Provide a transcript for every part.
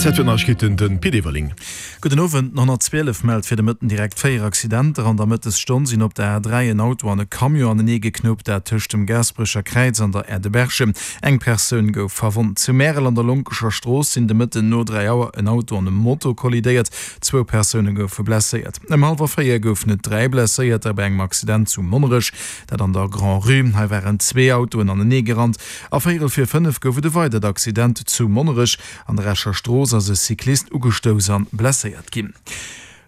An Zäit fir d'Neiegkeeten, de Pit Everling. Gudden Owend. Den 112 mellt fir de Mëtten direkt 4 Accidenter. An der Mëttesstonn sinn op der A3 en Auto an e Camion anenee geknuppt, dat tëscht dem Gaasperecher Kräiz an der Aire de Berchem. Eng Persoun gouf verwonnt. Zu Märel an der Lonkescher Strooss sinn de Mëtten no 3 Auer en Auto an e Moto kollidéiert. Zwou Persoune goufe blesséiert. Ëm hallwer 4 goufen et 3 Blesséierter bei engem Accident zu Monnerech, dat an der Grand-Rue. Hei waren zwee Autoen anenee gerannt. A véierel vir 5 gouf et e weidert Accident zu Monnerech. An der Escher Strooss ass e Cyclist ugestouss an blesséiert ginn.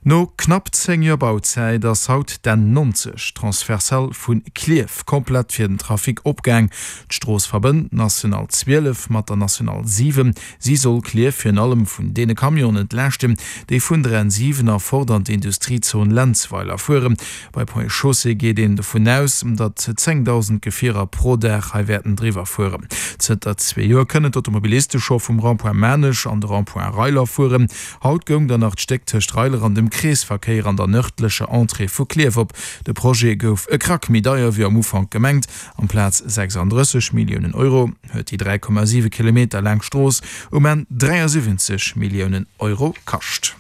No knapp 10 Joer Bauzäit ass haut d'N 90, Transversale vu Klierf, komplett fir den Trafic opgaang. D'Strooss verbënnt d'National 12 mat der National 7. Si soll Klierf virun allem vun deene Camionen entlaaschten, déi vun der N 7 erfort an d'Industriezon Lenzweiler fueren. Bei Ponts et Chaussées geet een dovun aus, datt 10.000 Gefierer pro Dag hei wäerten driwwer fueren. Zënter zwee Joer kënnen d'Automobiliste scho vum Rond-point Maarnech an de Rond-point Reiler fueren. Haut goung dann nach d'Stéck tëscht Reiler an dem Kreesverkéier an der nërdlecher Entrée vu Klierf op. De Projet gouf e Krack méi deier wéi am Ufank gemengt. Amplaz 36 Milliounen Euro huet déi 3,7 Kilometer laang Strooss um Enn 73 Milliounen Euro kascht.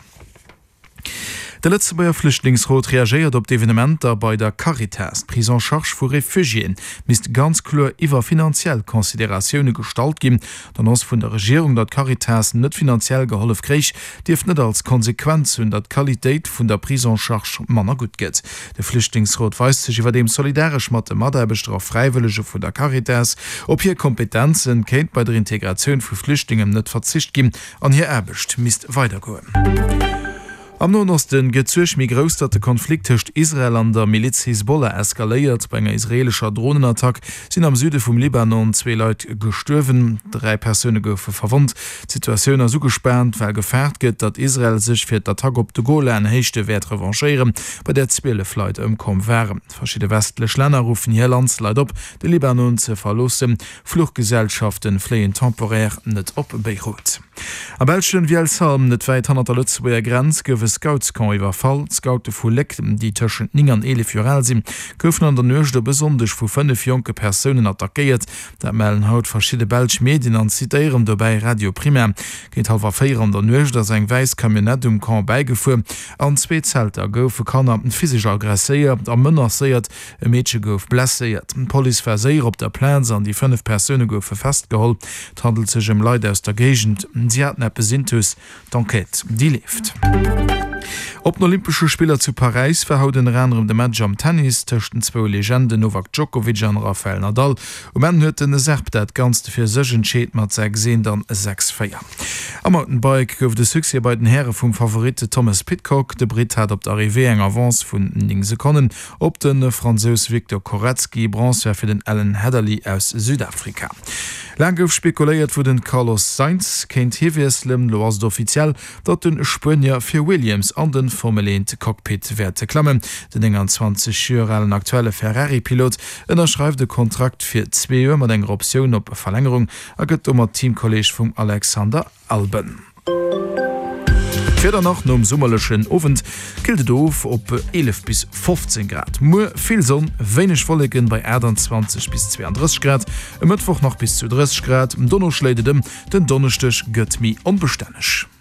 De Lëtzebuerger Flüchtlingsrot reagéiert op d'Evenementer bei der Caritas. D'Prise en charge vu Refugiéen misst ganz kloer iwwer finanziell Consideratioune gestallt ginn. D'Annonce vun der Regierung, datt d'Caritas net finanziell gehollef kréich, dierft net als Konsequenz hunn, datt d'Qualitéit vun der Prise en charge manner gutt gëtt. De Flüchtlingsrot weist sech iwwerdeem solidaresch mat de Mataarbechter a Fräiwëllege vun der Caritas. Op hir Kompetenzen kéint bei der Integratioun vu Flüchtlingen net verzicht ginn. An hir Aarbecht misst weidergoen. Am Noen Oste gëtt d'Suerg méi grouss, datt de Konflikt tëscht Israel an der Miliz Hisbollah eskaléiert. Bei enger israeelescher Dronenattack sinn am Süde vum Libanon zwee Leit gestuerwen, dräi Persoune goufe verwonnt. D'Situatioun ass ugespaant, well gefaart gëtt, datt Israel sech fir d'Attack op de Golan-Héichte wäert revanchéieren, bei där 12 Leit ëmkomm waren. Verschidde westlech Länner ruffen hir Landsleit op, de Libanon ze verloossen. Fluchgesellschaften fléien temporaire net op Beirut. Am belschen Vielsalm, net wäit hannert der Lëtzebuerger Grenz, gouf e Scoutscamp iwwerfall. D'Scoute vu Léck, déi tëschent 9 an 11 Joer al sinn, goufen an der Nuecht op e Sonndeg vu 5 jonke Persounen attackéiert. Dat mellen haut verschidde belsch Medien an zitéieren dobäi Radio Prima. Géint hallwer 4 an der Nuecht ass eng wäiss Camionnette um Camp bäigefuer. An zwee Zelter goufe Kanner physesch aggresséiert a menacéiert. E Meedche gouf blesséiert. D'Police war séier op der Plaz an déi 5 Persoune goufe festgeholl. Et handelt sech ëm Leit aus der Géigend. Si haten eppes intus. D'Enquête, déi leeft. Op den Olympesche Spiller zu Paräis war haut ënner anerem de Match am Tennis tëscht den zwou Legenden Novak Djokovic an Rafael Nadal. Um Enn huet den Serb dat Ganzt fir sech entscheet mat 6, 1 an 6, 4. Am Mountainbike gouf et e Succès bei den Häre vum Favorit Thomas Pidcock. De Britt hat op der Arrivée eng Avance vun 9 Sekonnen Op de Fransous Victor Koretzky, Bronze war fir den Alan Hatherly aus Südafrika. Laang gouf spekuléiert, wou den Carlos Sainz kéint hiwiesselen. Lo ass et offiziell, datt de Spuenier fir Williams an de Formel 1 Cockpit wäert klammen. Den 29 Joer alen aktuelle Ferrari-Pilot ënnerschreift e Kontrakt fir zwee Joer mat enger Optioun op Verlängerung a gëtt domat Teamkolleeg vum Alexander Alben. D'Wieder nach, Nom summerlechen Owend killt et of op 11 bis 15 Grad. Muer vill Sonn, wéineg Wolleken bei 28 bis 32 Grad. E Mëttwoch nach bis zu 30 Grad, dono schléit et ëm. Den Donneschdeg gëtt méi onbestänneg.